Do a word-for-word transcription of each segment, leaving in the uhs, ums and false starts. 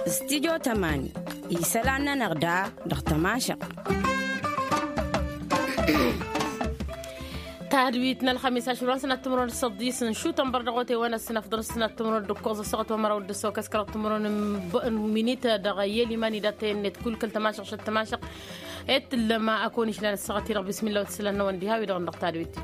Studyo tămani isălan-nănăɣ da dăɣ-tămašăɣt. Tadwit n-ălxămis ašăl wa n-sănat timǝrwen d-săḍis n-šutăn bărdăɣote wa n-ăssinăfḍăr s-sănat timǝrwen d-ǝkkoẓ ăssaɣăt wa măraw d-ăssaw kăskărăɣ timǝrwen n-minit dăɣ-iyyăl iman idatăyăn-net kull kăl-tămašăɣt šăt tămašăɣt. Ed tǝllăm akăwăn išlan ăssaɣăt-i-dăɣ bismillah wa t-isǝlan n-awăn diha-wi-dăɣ n-dăɣ tadwit.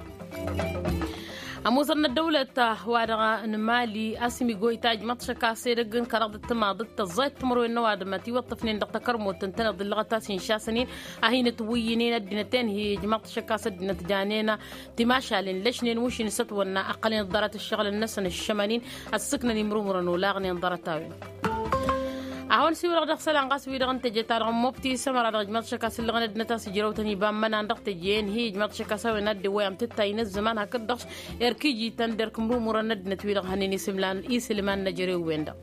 Ămuẓăr n-ăddăwlăt wa dăɣ-nǝmali asǝm igoyta ijmăḍ šăkased ăgg n-kăraḍ d-tǝmaḍăt tăẓẓayăt timǝrwen n-ăwadǝm ătiwăṭṭăfnen dăɣ-takărmut ǝntăneḍ d-ǝllăɣăt a-s inšasăn-in a hin-ǝtwǝyyǝnen ăddinăt enhi ijmăḍ šăkas ăddinăt janen timašalen lăšnen wǝšin s-ătwănna ăqqălnen ḍarăt ǝššăɣǝlăn-năsăn ǝššămăn-in ăssǝknăn imrumrăn olaɣnen ḍarăt-a-wen. Ad-hawăn-siwǝlăɣ dăɣ-isălan ɣas wi-dăɣ n-teje-ta-dăɣ n-mobti s-ămăra dăɣ-ijmaḍ šăkas ǝllăɣăn ăddinăt a-s ǝjrăwtăn iba n-imănan dăɣ-teje-en-hi ijmaḍ šăkas a-wen ad-dd-iwwăy amtǝttay n-ăzzăman hakd-dăɣ erk iji-tăn derk imrumurăn n-ăddinăt wi-dăɣ hănen isǝlman n-ejărew-wen-dăɣ.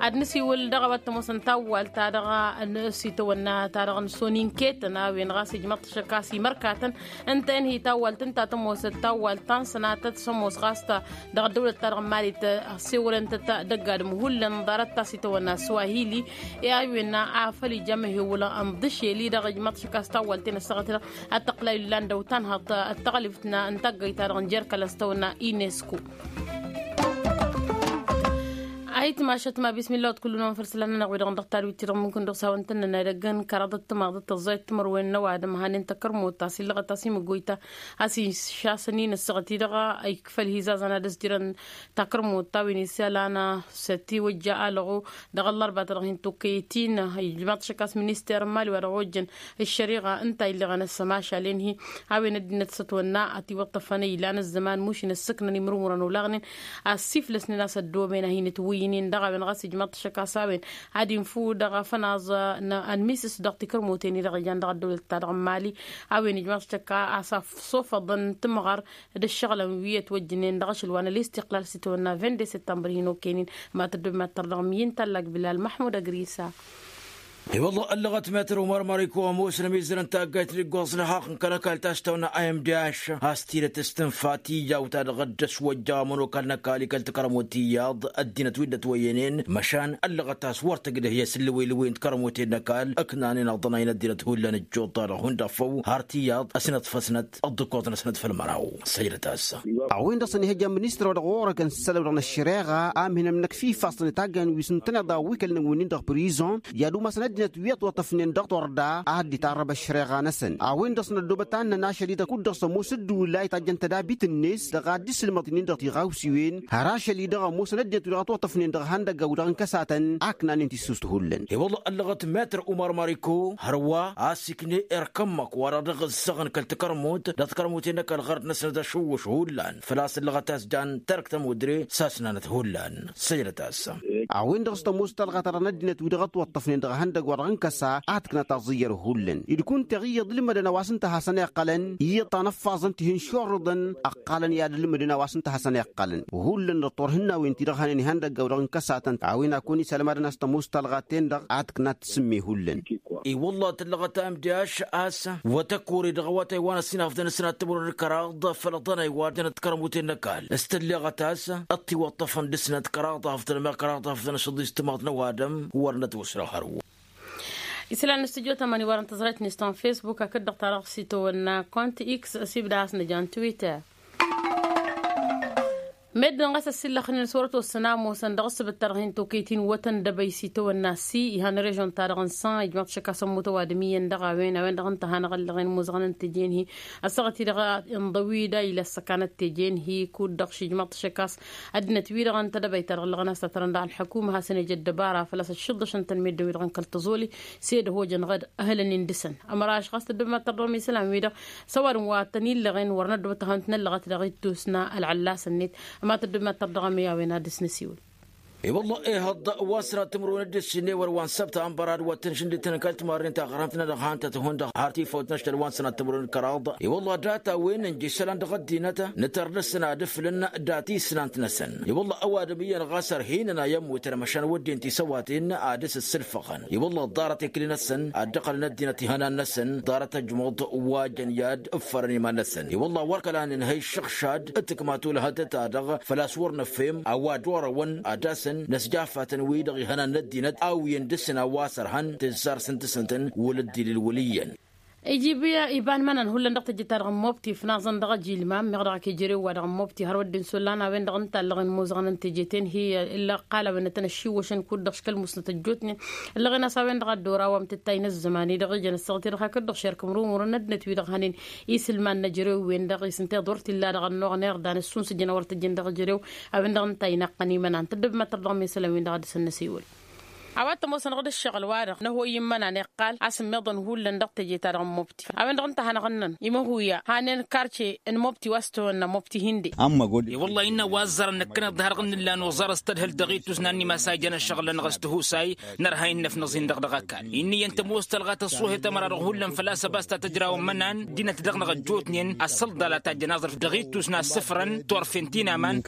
Ad-nǝsiwǝl dăɣ-a-wa t-ămoosăn tawwalt-ta-dăɣ n-sitawănna-ta-dăɣ n-soninketăn a-wen ɣas ijmaḍ šăkas imărkatăn ǝnta-en hi-tawwalt ǝnta a tămoosăt tawwalt ta n-sănatăt s-ămoos ɣas ta dăɣ-ăddăwlăt-ta-dăɣ n-mali tăsewălăn-tăt dăgg-adǝm hullan ḍarăt ta s-itawănna swahili. I-a-wen afăl ija măhewălăn ǝnḍǝšel-i-dăɣ ijmaḍ šăkas tawwalt-en ăssaɣăt-i-dăɣ ad-tăqqǝlay ǝllan dăw-tanhăḍt d-taɣlǝft n-taggăyt-ta-dăɣ n-jer-kăl-ăstăwănna inesku. Ayǝtmašăt ma bismillah wăt kull-năwăn făll-isălan-nănăɣ wi-dăɣ n-dăɣ-tadwit-ti-dăɣ mumkǝn dăɣ-s hawăn-tăn-nănay dăgg-n kăraḍăt timaḍăt tăẓẓayăt timărwen n-ăwadǝm hanen takărmut ta s-illăɣăt a-s imǝggoyta a-s išasăn-in ăssaɣăt-i-dăɣ ikfăl hizazăn ad-ăzjărăn takărmut ta wi n-isălan s-ătiwăjja alăɣu dăɣ-ăllărba ta dăɣ-hin-tukkăyăt-in. Ijmaḍ šăkas minister n-mali wa dăɣ-ojjăn ăššăriɣa ǝnta a illeɣăn ăssămašalen-hi a-wen ăddinăt s-ătwănna ătiwăṭṭăfăn ilan ăzzăman mušin ǝssǝknăn imrǝmurăn olaɣnen ăssiflăsnen a-s ăddooben a hin-ǝtwǝyyǝnen dăɣ-a-wen ɣas ijmaḍ šăkas a-wen ad-infǝw dăɣ-afănaẓ n-ănmisǝs dăɣ-tikărmuten-i-dăɣ ijan dăɣ-ăddăwlăt-ta-dăɣ n-mali. A-wen ijmaḍ šăkka a-s afsofăḍăn tǝmɣăr d-ǝššăɣǝlăn wi ătwăjjǝnen dăɣ-ašăl wa n-ălistiqlal s-itawănna vinde septămbăr hin-okăynen. Matăddob mattăr dăɣ-miyǝn tallag bilal măḥmud ăgrisa. I-wălla ăllăɣăt metăr umar mariko ămoosăn ămizăr n-taggayt n-iggoẓ n-ăhaɣ n-kăl-ăkall ta s-tawănna a m d h a-s tidăt s-tǝnfa tijawt-ta-dăɣ dd-ăswăjja ămănokal n-ăkall ikăl takărămut iyyăḍ ăddinăt wi dd-ătwăyyănen măšan ăllăɣăt a-s wăr tǝgdăh i-asǝllǝwǝy-lǝwǝy n-takărămuten n-ăkall ǝknanen ăḍnayăn ăddinăt hullan ǝjjuḍ-ta-dăɣ hundăɣ făw har tiyyăḍ ăsnăḍfăsnăt ăḍḍǝkkoẓ-năsnăt făll-măraw. Săjdăt-as. A-wen-dăɣ s-ănihăjja n-ministăr wa dăɣ-ɣur-ăkăn s-sălăw dăɣ-năššăreɣa a mihǝnăm n-ăkf ifassăn itaggăn wi s-ǝntăneḍ a wi kăl-năwǝnnin dăɣ-prizon i-ad-umasăn ăddinăt wi ătwăṭṭăfnen dăɣ-turda a dd-itarrăb ăššăreɣa-năsăn. A-wen-dăɣ s-năddobăt ad-nănašăl-i-dăɣ kud-dăɣ s-ămoos ǝddǝwǝl a itajjăn tădabit-net dăɣ-ad-dd-isǝlmăḍ-nin dăɣ-tiɣawsiwen har ašăl-i-dăɣ ămoosăn ăddinăt wi dăɣ-ătwăṭṭăfnen dăɣ-ihăndăgga wi-dăɣ n-kăsatăn a ǝknanen tissust hullan. I-wălla ăllăɣăt metăr umar mariko hărwa a-s ikne erk ămmăk wa-dăɣ dăɣ-ǝzzăɣăn kăl-takărmut dăɣ-takărmuten n-ăkall ɣărd-năsnăt ašǝwwǝš hullan făl-a-s ăllăɣăt a-s jan terk tămudre s-asnanăt hullan. Săjdăt-as. A-wen-dăɣ s-tămoos talɣa ta dăɣ-năddinăt wi dăɣ-ătwăṭṭăfnen dăɣ-ihăndăgg wa dăɣ-n kăsa ad-tǝkna taẓǝyyăr hullan. Ǝdkǝw n-teɣiyyăḍ ǝlmădăn a-wa s-ǝnta a hasăn-iqqălăn iyyăḍ ta n-ăffaẓăn tihǝnšurrǝḍăn ǝqqalăn i-ad-ǝlmǝdăn a-wa s-ǝnta a hasăn-iqqălăn. Hullan dăɣ-turhǝnnawen-ti-dăɣ hănen ihăndăgg a-wa dăɣ-n kăsatăn a-wen ad-kăwăn-isălmadăn a-s tămoos talɣa-ten-dăɣ ad-tǝkna tǝsǝmme hullan. I-wălla tǝllăɣăt a m d h a-s wăt ăkori dăɣ-awătay wa n-ăsinafḍăn s-sănat timǝrwen d-kăraḍ făll-ăḍănay wa dănăt kărămuten n-ăkall s-tǝlleɣăt a-s ăttiwăṭṭăfăn dăɣ-snăt kăraḍ afḍăn meɣ kăraḍ afḍăn s-ăḍis timaḍ n-ăwadǝm. Wăr-năt wăsrăɣ hărwa. Isălan n-studyo tămani wărăn tăẓrayt-net ta n-facebook hakd-dăɣ ta dăɣ-s itawănna kont x s-ibda a-s nǝja n-twitter. Meddǝn ɣas ăssillăxnen s-wăr-ătwăssăn a ămoosăn dăɣ-ǝssǝbǝt-ta-dăɣ hin-tokăyt-in wătăn dăbăy s-itawănna s-ihăn režon-ta-dăɣ n-săn ijmaḍ šăkk a-s ămmut ăwadǝm iyyăn dăɣ-a-wen a-wen-dăɣ ǝnta a hanăɣ-ăllăɣen ămoozăɣăn n-teje-en-hi. Ăssaɣăt-i-dăɣ inḍăw-i da ila ăssăkanăt teje-en-hi kud-dăɣ šijmaḍ šăkk a-s ăddinăt-wi-dăɣ n-tedăbayt-ta-dăɣ ǝllăɣăn a-s tătrăn dăɣ-ălḥăkumă hasăn-ej ăddăbara făl-a-s ăššǝḍǝšăn-tăn meddǝn-wi-dăɣ n-kăl-tăẓoli s-ed ăhojăn ɣad ăhǝlăn-in dăɣ-săn. Ămăraš ɣas tăddobem ad-tărdăɣăm isălan-wi-dăɣ s-ăwadǝm wa tăn-illăɣen wăr năddobăt ad-hawăn-tăn-ăllăɣăt dăɣ-ittus n-ălɣăllas-net. Ăma tăddobem ad-tărdăɣăm i-a-wen ad-dăɣ-s năsiwǝl. I-wălla ehăḍ wa n-sănat timǝrwen d-ǝssin ewăr wa n-săbta ănbărad wa t-tăn-žǝndǝtăn kăl-timarren taɣrămt n-edăɣ han-tăt-ihun dăɣ-har tifăwt n-ašăl wa n-sănat timǝrwen d-kăraḍ. I-wălla data-wen n-ija isălan dăɣ-ăddinăt nǝtăr dăr-săn ad-ǝflǝn dat-isnant-năsăn. I-wălla ăwadǝm iyyăn ɣas ărhinăn a i-ămmutăn măšan wădden tisăwaten ad-dăr-s ǝssǝlfăɣăn. I-wălla ăḍḍarăt ekli-năsăn ad-dd-ăqqălăn ăddinăt ihănan-năsăn ḍarăt ăjmuḍ wa jăn i-ad-ǝffărăn iman-năsăn. I-wălla wăr kăla nǝnhăy šăɣšad d-tǝkma tulhăt-ta-dăɣ făl-a-s wăr nǝfhem a-wa dd-orăwăn ad-asăn năsjafatăn-wi-dăɣ ihănan n-ăddinăt a-wen dăr-săn a-wa s-ărhăn tǝzzar s-ǝntǝsnătăn wăla dd-ilǝlwǝl iyyăn. Ijib iba n-imănan hullan dăɣ-teje-ta-dăɣ n-mobti fnaẓăn dăɣ-ejilmam meɣ dăɣ-ak ejărew-wa-dăɣ n-mobti har wădden s-ollan a-wen-dăɣ n-tallăɣen imuzăɣăn n-teje-ten hi-ǝlla ăqqal a-wen ătănăššiwwăšăn kud-dăɣ škăl musnăt ăjjootnen. Ǝllăɣen a-s a-wen-dăɣ a dd-oraw amtǝttay n-ăzzăman-i-dăɣ ijăn ăssaɣăt-i-dăɣ hakd-dăɣ šerkăm rumurăn ăddinăt-wi-dăɣ hănen. Isǝlman n-ejărew-wen-dăɣ isǝnteḍ wăr t-illa dăɣ-ănnuɣ n-irdan ǝssunsǝjăn a wăr tǝjjăn dăɣ-ejărew a-wen-dăɣ ǝnta a inaqqăn imănan tăddăbmătăr dăɣ-mesălăn-win-dăɣ a dăr-săn năsiwǝl. A-wa t-ămoosăn dăɣ-dd-ǝššăɣǝl-wa-dăɣ năhoy n-imănan iqqal a-s ǝmmiḍăn hullan dăɣ-teje-ta-dăɣ n-mobti a-wen-dăɣ ǝnta a hanăɣ-ǝnnăn imăhuya hanen karce n-mobti wa s-tăwănna mobti hinde. I-wăllah innă wa ăzzarăn năkkăneḍ d-harăɣ n-nǝlla noẓar s-tadhǝlt dăɣ-ittus n-annimasa ijăn ăššăɣǝl-nănăɣ s-tihusay nărha innăf năẓin-dăɣ dăɣ-ăkall. Inn'-iyyăn tămoos tălɣa tăṣṣuhet ămăra-dăɣ hullan făl-a-s ăbas ta tǝjrawăn imănan ăddinăt-dăɣ-năɣ ăjjootnen ăssălḍal a tajjăn aẓrǝf dăɣ-ittus n-assǝfrăn turfen ti n-aman.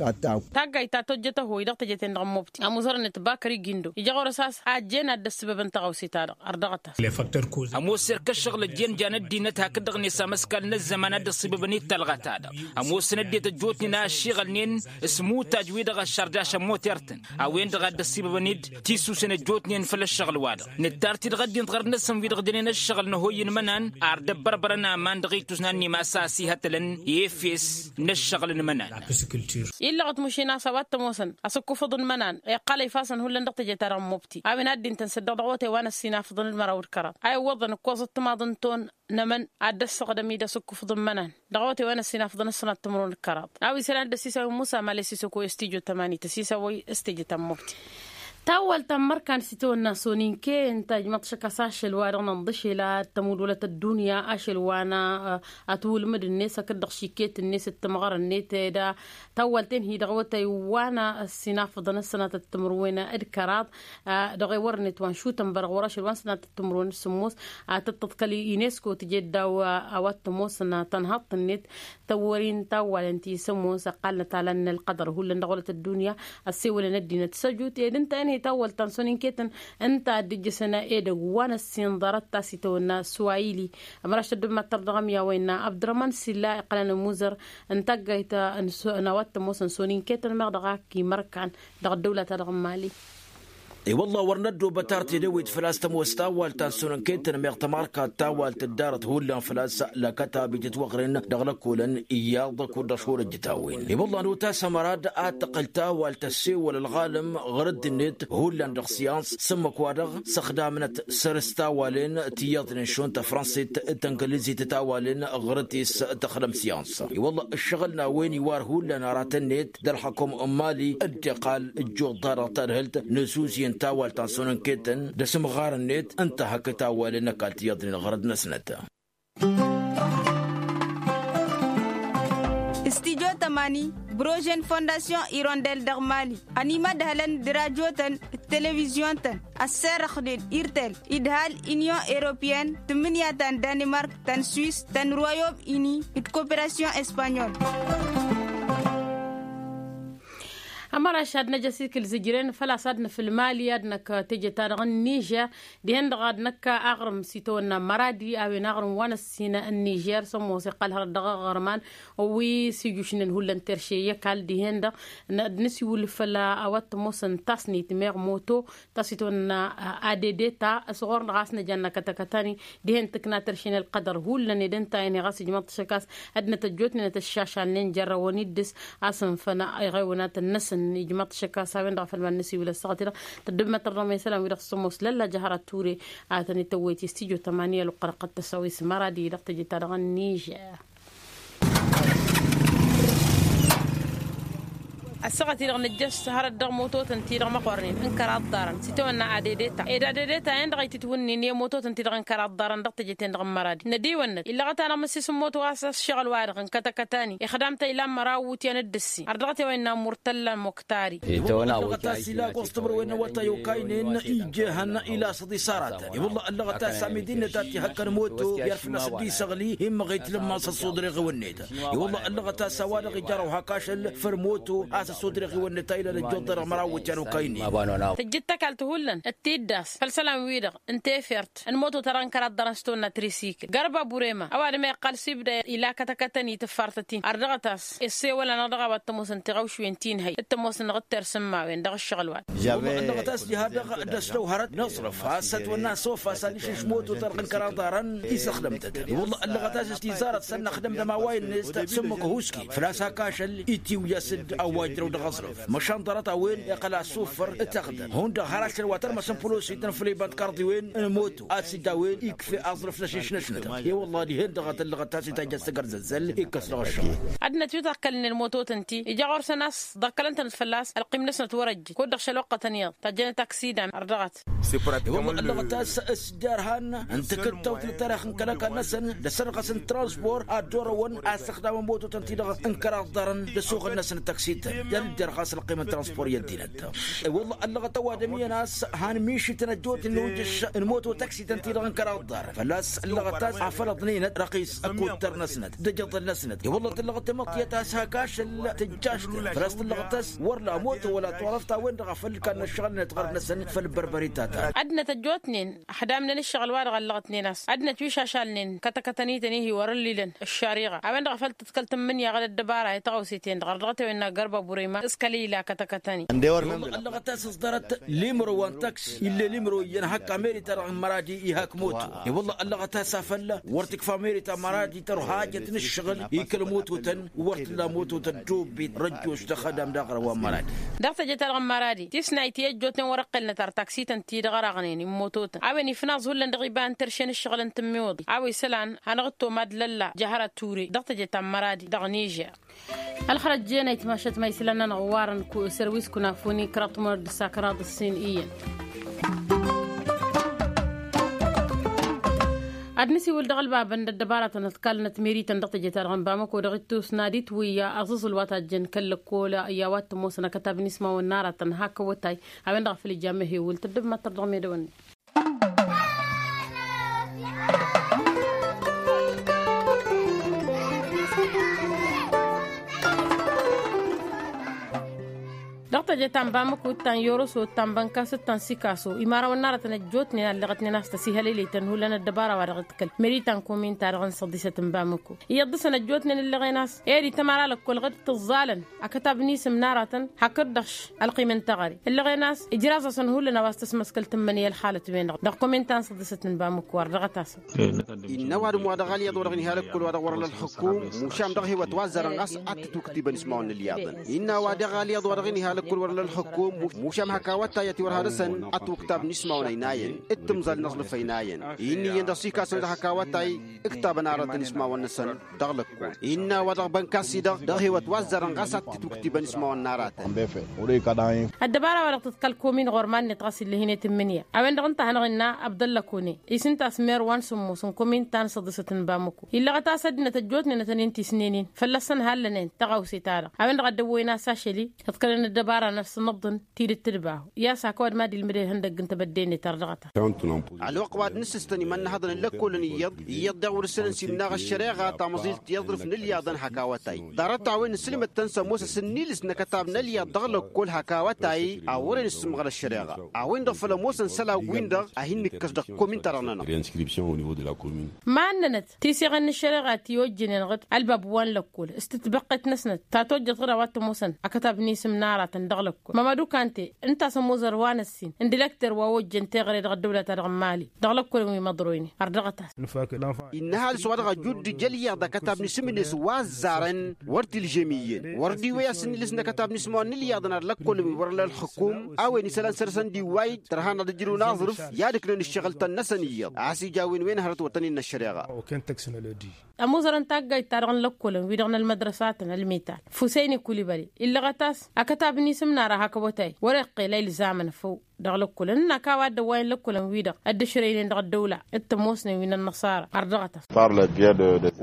Taggayd ta tojjăt ăhoy dăɣ-teje-ten-dăɣ n-mobti ămuzărăn-net bakări gindo ija ɣur-s a-s ajjen ad-dd-ăssibăbăn tăɣawse-ta-dăɣ. Ărdăɣăt-as. Ămoos erk ăššăɣǝl ăjjeen jan ăddinăt hakd-dăɣ-net amăskal n-ăzzăman a dd-ăṣṣibăbăn-dd tălɣăt-ta-dăɣ. Ămoosăn ăddinăt ăjjootnen a ăššiɣălnen s-imutaj-wi-dăɣ ăššărjašăn moter-tăn a-wen-dăɣ a dd-ăṣṣibăbăn-dd tisusen ăjjootnen făll-ăššăɣǝl-wa-dăɣ. Nǝttar-t-dd ɣăddinăt ɣărăt-năsăn wi-dăɣ dănen ăššăɣǝl n-ăhoy n-imănan ar dd-ăbbărbărăn aman dăɣ-ittus n-annimasa a ăsihătălăn efes n-ăššăɣǝl n-imănan. Illăɣăt mašin a-s a-wa t-ămoosăn asǝkkufăḍ n-imănan iqqăl a ifasăn hullan dăɣ-teje-ta-dăɣ n-mobti a-wen ad-dd-intăn s-ăddeɣ dăɣ-awătay wa n-ăssinafăḍăn d-măraw d-kăraḍ a iwwăḍăn ǝkkoẓăt timaḍ n-ton n-emăn ad-dd-ăssaɣdăm-i d-asǝkkufăḍ n-imănan dăɣ-awătay wa n-ăssinafăḍăn s-sănat timǝrwen d-kăraḍ. A-wa isălan dd-ăsisawăy musa male s-isăko s-tijo tămani tăsisawăy s-teje ta n-mobti. Tawwălt ta n-imărkan s-itawănna soninkey ǝnta ijmăḍ t-išăk a-s ašăl-wa-dăɣ nănḍǝšel ad-tămudwălăt ăddunya ašăl wa n-atwǝlmǝd-net hakd-dăɣ šiket-net d-timɣăr-net ed tawwălt-en hi-dăɣ awătay wa n-ăssinafăḍăn s-sănatăt timǝrwen d-kăraḍ. Dăɣ-ewăr-net wa n-šutăn bărăɣ wăr-ašăl wa n-sănatăt timǝrwen d-sǝmmos ad-tǝṭṭăḍ kăl-inesco tǝjed daw a-wa t-ămoosăn tănhăḍt-net tăwwări n-tawwalăn ti s-ămoos ăqqalnăt alăn n-ălqădăr hullan dăɣ-wălăt ăddunya ăssewălăn ăddinăt s-ăjut ed ǝnta-en hi-tawwălt ta n-soninketăn ǝnta a dd-ijjăsăn edăgg wa n-ăssin ḍarăt ta s-itawănna swayili. Ămăraš tăddǝbmăttăr dăɣ-ămya wa innă abdărăman s-illa iqqălăn ămuzăr n-taggayt n-a-wa t-ămoosăn soninketăn meɣ dăɣ-ak imărkan dăɣ-ăddăwlăt-a-dăɣ n-mali. I-wălla wăr năddoobăt ar tedăwit făl-a-s tămoos tawalt ta n-sănănketăn meɣ tămarka tawalt dd-arăt hullan făl-a-s lăkătab ijăt wăɣren dăɣ-lăkolăn iyyăḍ kud-dăɣ šor ăjjăt a-wen. I-wălla nota s-ămărad ad-tăqqǝl tawalt ăssewăl ălɣalăm ɣur-dd-net hullan dăɣ-syans s-ǝmmǝk-wa-dăɣ s-ăxdamnăt săr-s tawalen tiyyăḍnen šund tăfrănsit d-tăngălizit tawalen ɣur-dd-s tăxdăm syans. I-wălla ǝššăɣǝl n-a-wen iwar hullan aratăn-net d-ălxăkum n-mali dd-iqqal ǝjjuḍ-ta-dăɣ tadhǝlt n-ăzuzǝyăn tawalt ta n-sănănketăn d-asǝmɣar-net ǝnta hakd tawalen ăkall tiyyăḍnen ɣur-dd-năsnăt. Studio tămani, brožen fondasyon irondel dăɣ-mali ănimădhălăn d-rajotăn d-televizyon-tăn ăsserăxnen irtel idhal inyon europeyăn tǝmmǝnǝya ta n-danimark ta n-swis ta n-royom ini d-koperasyon espanyol. Ămăraš ad-năj ăsikǝl zǝjren făl-a-s ad-nǝfǝl mali ad-năkk teje-ta-dăɣ n-nižer dihen-dăɣ ad-năkk aɣrǝm s-itawănna măradi a-wen aɣrǝm wa n-ăssin n-nižer s-ămoos iqqăl hărăt dăɣ-aɣrǝman wi s-ijušnen hullan terše i-ăkall dihen-dăɣ. Ad-nǝsiwǝl făll-a-wa t-ămoosăn tasnit meɣ moto ta s-itawănna adede ta s-ɣur-dăɣ a-s năj ad-năkătăkătani dihen tǝkna terše n-ălqădăr hullan ed ǝnta-en i-ɣas ijmăḍ-t šăk a-s ad-nătăjjootnen ad-tăššašalnen jărrăwăn-dd-s a-s ǝnfăn iɣewnatăn-năsăn ijmăḍ-t šăk a-s a-wen-dăɣ a făl ma n-nǝsiwǝl ăssaɣăt-i-dăɣ tăddǝbmăt tărdăm isălan-wi-dăɣ s-ămoos lălla jăhăr ad-ture a tăn-ităwwăyăt i-studyo tămani ălwăqq dăɣ-tăsawis măradi dăɣ-teje-ta-dăɣ n-nižer. Ăssaɣăt-i-dăɣ nǝjjăš hărăt dăɣ-mototăn-ti-dăɣ măqornen n-kăraḍ ḍarăn s-itawănna adedeta ed adedeta-en-dăɣ a itǝtwǝnnin i-mototăn-ti-dăɣ n-kăraḍ ḍarăn dăɣ-teje-ten-dăɣ n-măradi. Nădiwănnăt illăɣăt-anăɣ mǝssis n-moto a-s ăššăɣǝl-wa-dăɣ n-kătăkătani ixdam ta ilan măraw iwǝtyan d-ǝssin ardăɣăt i-wa innă murtălla moktar. Ila ɣur-s tămăr-wen n-awătay okaynen ijehăn ila s-dd-isaratăn i-wălla ăllăɣăt a-s amidi-net a t-ihăkkăn moto i-ad-fălla-s dd-isăɣli immăɣ itlǝmmas ăṣṣudreɣ-iwăn-net. I-wălla ăllăɣăt a-s a-wa-dăɣ ija răw hak ašăl făll-moto a-s ăṣṣudreɣ-iwăn-net a ilan ăjjoḍ-dăɣ măraw iwǝtyan okaynen. Tǝjjǝd tăkalt hullan d-tiddas făll-isălan-wi-dăɣ n-tefert n-moto-ta-dăɣ n-kăraḍ ḍarăn s-tonna trisikǝl gărba burema ăwadǝm a iqqal s-ibda ila kătăkătăn i-tǝffartăt-in ardăɣăt a-s issewăl-anăɣ dăɣ-a-wa t-ămoosăn tiɣăwšuwen ti n-hăy t-ămoosăn dăɣ-ǝttersǝmmawen dăɣ-ǝššăɣǝl-wa-dăɣ. Ăllăɣăt a-s diha-dăɣ d-ăslăw hărăt n-aẓrǝf a-s ătwănna s-ofas anǝšǝš moto-ta-dăɣ n-kăraḍ ḍarăn isăxdăm-tăt. I-wălla ăllăɣăt a-s s-tizarăt sănnăxdăm d-ămaway-net sǝmmǝk ăhuski făl-a-s hak ašăl itiwǝy a-s dd-awajrăw dăɣ-aẓrǝf măšan ḍarăt-a-wen iqqăl asuffăr. Tăɣdăr hundăɣ har ašăl wa tărmăsăn pălosităn făll-iba n-tikarḍiwen n-moto a-s dd-a-wen ikf'-e aẓrǝf n-ašǝšnăšnăt. I-wălla dihen-dăɣ a tăllăɣăt ta s-itajj a-s tăgărzăzzăl ikkăs dăɣ-ăššăɣǝl. Ad-năt wi tăɣkălnen mototăn-ti ija ɣur-săn a-s ḍăkkălăn-tănăt fălla-s ălqim-năsnăt wăr-ăjjǝn kud-dăɣ šăl wăqqătăn iyyăḍ tajjănăt aksidan ărdăɣăt. I-wălla ăllăɣăt a-s s-jarhan n-takǝttawt n-ăttarix n-kăl-ăkall-năsăn d-asărɣăs n-transpor ad-dd-orăwăn a ǝstăxdamăn mototăn-ti-dăɣ n-kăraḍ ḍarăn d-ăsuɣǝl-năsăn d-taksităn i-ad-dd-irɣas ălqim n-transpor i-ăddinăt. I-wălla ăllăɣăt ăwadǝm iyyăn a-s han mišităn ăjjootnen ujǝš n-moto taksităn-ti-dăɣ n-kăraḍ ḍarăn fălla-s ăllăɣăt a-s afălăḍnen răqis ăkkuttăr-năsnăt d-ajăḍăl-năsnăt. I-wălla tǝllăɣăt tamăḍt iyyăt a-s hak ašăl tǝjjašlăt făl-a-s tǝllăɣăt a-s wăr la moto wăla turăft a-wen-dăɣ a făl ǝlkan n-ăššăɣǝl-net ɣărăt-năsăn făll-bărbări ta ta. Ad-năt ăjjootnen ăxdamnen ǝššăɣǝl-wa-dăɣ ăllăɣătnen a-s ad-năt wi šašalnen kătăkătăn-i tăn-ihi wăr-ǝllilăn ăššariɣa a-wen-dăɣ a făl tǝḍkăl tǝmmǝnǝya ɣǝd ăddăbara i-tăɣawse-ten-dăɣ ărdăɣăt a-wen n-agărba burema s-kăl-ila kătăkătăn-i. Ăllăɣăt a-s s-ḍarăt limro wa n-taks ill'-e limro iyyăn hak ameri-ta-dăɣ n-măradi ihak moto. I-wălla ăllăɣăt a-s afăl wăr t-ikfa ameri ta n-măradi tărha hajăt n-ǝššăɣǝl i-kăl-mototăn wăr t-ǝlla moto tăddobit răjjoš dăɣ-xădam d-aɣrǝw wa n-măradi. Dăɣ-teje-ta-dăɣ n-măradi tisnayt i-ăjjootnen wăr-ǝqqǝlnăt ar taksităn-ti-dăɣ ărăɣnen i-mototăn a-wen ifnaẓ hullan dăɣ-iba n-terše n-ǝššăɣǝl n-tǝmmiwǝḍi a-wa isălan hanăɣ-dd-tomad lălla jăhăr ăture dăɣ-teje ta n-măradi dăɣ-nižer. Ălxărăt jenăyt mašăt ma isălan-nănăɣ ǝwwarăn sărwis kunafuni kăraḍ timǝrăwt d-ǝssa kăraḍ ǝssin iyyăn. Ad-nǝsiwǝl dăɣ-ălbabăn d-ăddăbaratăn ătkalnăt mirităn dăɣ-teje-ta-dăɣ n-bamăko dăɣ-ittus n-ad-itwǝyya aẓǝẓǝl wa tajjăn kăl-lăkkol i-a-wa t-ămoosăn akătab n-ismawăn n-aratăn hak awătay. A-wen-dăɣ a făl ija amăhewǝl tăddǝb mad-tărdăɣ medăwănne. Dăɣ-teje ta n-bamăko d-ta n-yoroso d-ta n-bănkas d-ta n-sikaso imarăwăn n-aratăn ăjjootnen allăɣătnen a-s tăsihălăylăytăn hullan ăddăbara wa dăɣ-tǝkkăl meri ta n-komin-ta-dăɣ n-săḍisăt n-bamăko iyyăḍ dăɣ-săn ăjjootnen ǝllăɣen a-s eri tămăra lăkkol ɣǝd tǝẓẓalăn akătab n-isǝm n-aratăn hakd-dăɣ-š ălqim n-taɣăre ǝllăɣen a-s ijraẓ-asăn hullan a-wa s-tăsmăskăl tǝmmǝnǝya ălxalăt-wen-dăɣ dăɣ-komin ta n-săḍisăt n-bamăko ardăɣăt-asăn. Innă ăwadǝm wa dăɣ-alyaḍ wa dăɣ-niha lăkkol wa dăɣ-wăr-ălla ălxǝkum mušam dăɣ-hewăt wa ăzzarăn ɣas ad-t-ǝtwǝktibăn ismawăn n-alyaḍăn. Innă ăwadǝm alyaḍ wa dăɣ-niha lăkkol wăr-ălla ălxǝkum mušam hak awătay a tiwărha dăɣ-săn ad-t-wǝktabăn ismawăn ăynayăn d-timẓal n-aẓlǝf ăynayăn. Inn'-iyyăn dăɣ-sikason dăɣ-hak awătay ǝktabăn aratăn ismawăn-năsăn dăɣ-lăkkol. Innă a-wa dăɣ-bănkas-i-dăɣ dăɣ-hewăt wa ăzzarăn ɣas ad-t-ǝtwǝktibăn ismawăn n-aratăn. Ăddăbara-wa-dăɣ tǝḍkăl komin ɣur-iman-net ɣas ill'-e hin-e tǝmmǝnǝya a-wen-dăɣ ǝnta a hanăɣ-innă abdălla kone isǝnta a-s mer wa n-sǝmmos n-komin ta n-săḍisăt n-bamăko illăɣăt a-s ăddinăt ăjjootnen a tăn-in-tisnen-in fălla-săn hallănen tăɣawse-ta-dăɣ a-wen-dăɣ a dd-ăwwăyăn a-s ašăl-i ǝḍkălăn ăddăbara n-ad-sǝnnăḍḍǝn tidǝt tǝdbahu i-a-s hak ăwadǝm ad-ilmǝdăy ihăndăgg n-tebădde-net ardăɣăt. Ălwăqq wa d-nǝssǝstăn imănnăhăḍăn n-lăkkolăn iyyăḍ iyyăḍ daɣ wăr-ǝssǝnăn s-imnaɣ ăššăreɣa tamăẓilt i-aḍrǝf n-alyaḍăn hak awătay ḍarăt-a-wen ǝssǝlmăd-tăn s-ămoos asǝnnilǝs n-akătab n-alyaḍ dăɣ-lăkkol hak awătay a wăren ǝssǝmɣăl ăššăreɣa a-wen-dăɣ făl ămoosăn isălan win-dăɣ a hin-nǝkkăs dăɣ-komin-ta-dăɣ-nănăɣ. Mannănăt tiseɣen n-ăššăreɣa ti ojjănen ɣǝd ălbab wa n-lăkkol s-tǝtbăqqet-năsnăt ta tojjăt ɣǝd a-wa t-ămoosăn akătab n-isǝm n-aratăn. dăɣ-lăkkol mămădu kante ǝnta a-s ămoozăr wa n-ăssin n-dilăkter wa ojjăn teɣăre dăɣ-ăddăwla-ta-dăɣ n-imali dăɣ-lăkkolăn wi măḍroynen ărdăɣăt-as. Innă ăhalǝs wa dăɣ-ăjuddu jăl iyyăḍ ăkătab n-isǝm-net wa ăzzarăn wăr t-ilžem iyyăn wăr dd-iwwăy a-s ǝnnilǝs n-akătab n-isǝm wa n-ilyaḍăn ar lăkkolăn wi wăr-ălla ălxǝkum a-wen isălan săr-săn d-iwway tărha n-ad-ǝjrǝwăn aẓrǝf i-ad-ǝknan ǝššăɣǝl-tăn-năsăn iyyăḍ a-s ija a-wen wen hărăt wăr tăn-innă ăššăreɣa. Oken tăksǝnălădi. Ămoozărăn taggayt-ta-dăɣ n-lăkkolăn wi-dăɣ n-ălmădrăsatăn ălmital fusăyni kulibăli illăɣăt-as akătab n-isǝm n-ara hak awătay wăr-iqqel a ilzamăn făw dăɣ-lăkkolăn ǝnnak a-wa dd-ăwwayăn lăkkolăn-wi-dăɣ dd-ǝšrăynen dăɣ-ăddăwla d-tămoosnen wi n-ănnăṣara ărdăɣăt-as.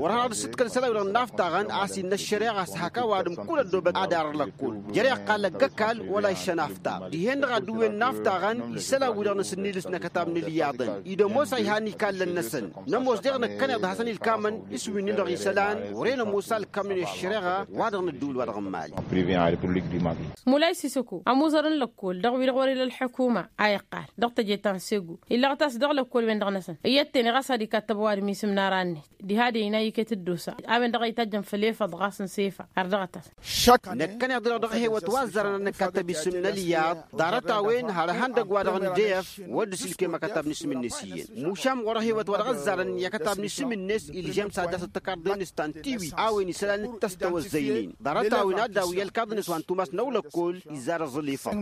Wăr hanăɣ-dd sǝtkăl isălan-wi-dăɣ n-inaftaɣăn a-s innă ăššăreɣa s-hak ăwadǝm kull ăddoobăt ad-arăɣ lăkkol jer-iqqal ăgg-ăkall wăla iššăn aftaɣ dihen-dăɣ ad-dd-ǝwwen inaftaɣăn isălan-wi-dăɣ n-asǝnnilǝs n-akătab n-ilyaḍăn-i d-ămoos a ihan ikallăn-năsăn. Nămoos deɣ năkkăneḍ hasăn-ilkamăn s-wi-nin-dăɣ isălan wăren ămoos a ǝlkamnen i-ăššăreɣa wa dăɣ-năddǝwǝl-wa-dăɣ n-mali. Mulay sisăko ămuẓăr n-lăkkol dăɣ-wi-dăɣ wăr-ila ălḥukuma a iqqal dăɣ-teje ta n-segu illăɣăt a-s dăɣ-lăkkol-wen-dăɣ-năsăn iyyăt-ten i-ɣas ad-ikattăb ăwadǝm isǝm n-ara-net diha d-e-ina iket dd-osa a-wen-dăɣ a itajjăn făll-efăḍ ɣas n-sefa ărdăɣăt-as. Năkkăneḍ-dăɣ dăɣ-hewăt wa ăzzarăn ad-nǝkattăb isǝm n-ălyaḍ ḍarăt-a-wen har ehăndăgg-wa-dăɣ n-def wăr dd-sǝlkem akătab n-isǝm-net iyyăn mušam ɣur-ehewăt wa dăɣ-ăzzarăn i-akătab n-isǝm-net ilžăm s-ad-dd-asăt tăkarḍe-net ta n-tiwi a-wen isălan d-tăstăwăzzăynen ḍarăt-a-wen ad-dawǝy ălkaḍ-net wa n-tumas n-ăwlăkkol izzar aẓǝl ifăḍ.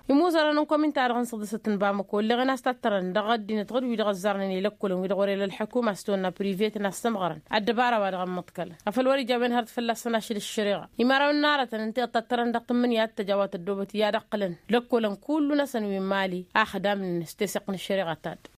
Imuẓărăn n-komin-ta-dăɣ n-săḍǝsăt n-bamăko ǝlleɣen a-s tattărăn dăɣ-ăddinăt ɣur-wi-dăɣ ăzzarnen i-lăkkolăn wi-dăɣ wăr-ila ălḥukuma s-tonna privet n-ad-sămɣărăn ăddăbara wa dăɣ-ămmăḍkălăn afăl wăr-ija a-wen hărăt fălla-săn ašăl ăššăreɣa. Imărawăn n-arătăn ǝnta i-ăṭṭăttărăn dăɣ-tǝmmǝnǝya d-tăjawat ăddoobăt i-ad-ăqqǝlăn lăkkolăn kullu-năsăn wi n-mali axdam-net tesăɣt n-ăššăreɣa ta-dd.